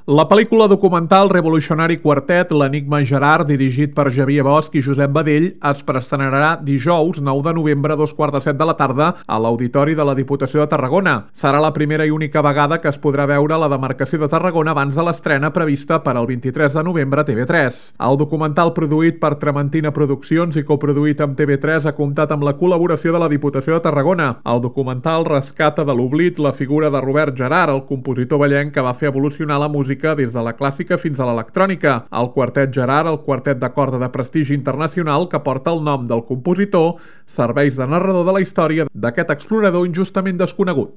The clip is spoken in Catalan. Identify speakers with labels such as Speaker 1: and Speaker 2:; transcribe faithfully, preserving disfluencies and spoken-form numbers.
Speaker 1: La pel·lícula documental Revolutionary Quartet, l'Enigma Gerard, dirigit per Xavier Bosch i Josep Badell, es preestrenarà dijous nou de novembre a dos quarts de set de la tarda a l'Auditori de la Diputació de Tarragona. Serà la primera i única vegada que es podrà veure la demarcació de Tarragona abans de l'estrena prevista per al vint-i-tres de novembre a T V tres. El documental, produït per Trementina Produccions i coproduït amb T V tres, ha comptat amb la col·laboració de la Diputació de Tarragona. El documental rescata de l'oblit la figura de Robert Gerard, el compositor vallenc que va fer evolucionar la música des de la clàssica fins a l'electrònica. El Quartet Gerard, el quartet de corda de prestigi internacional que porta el nom del compositor, serveix de narrador de la història d'aquest explorador injustament desconegut.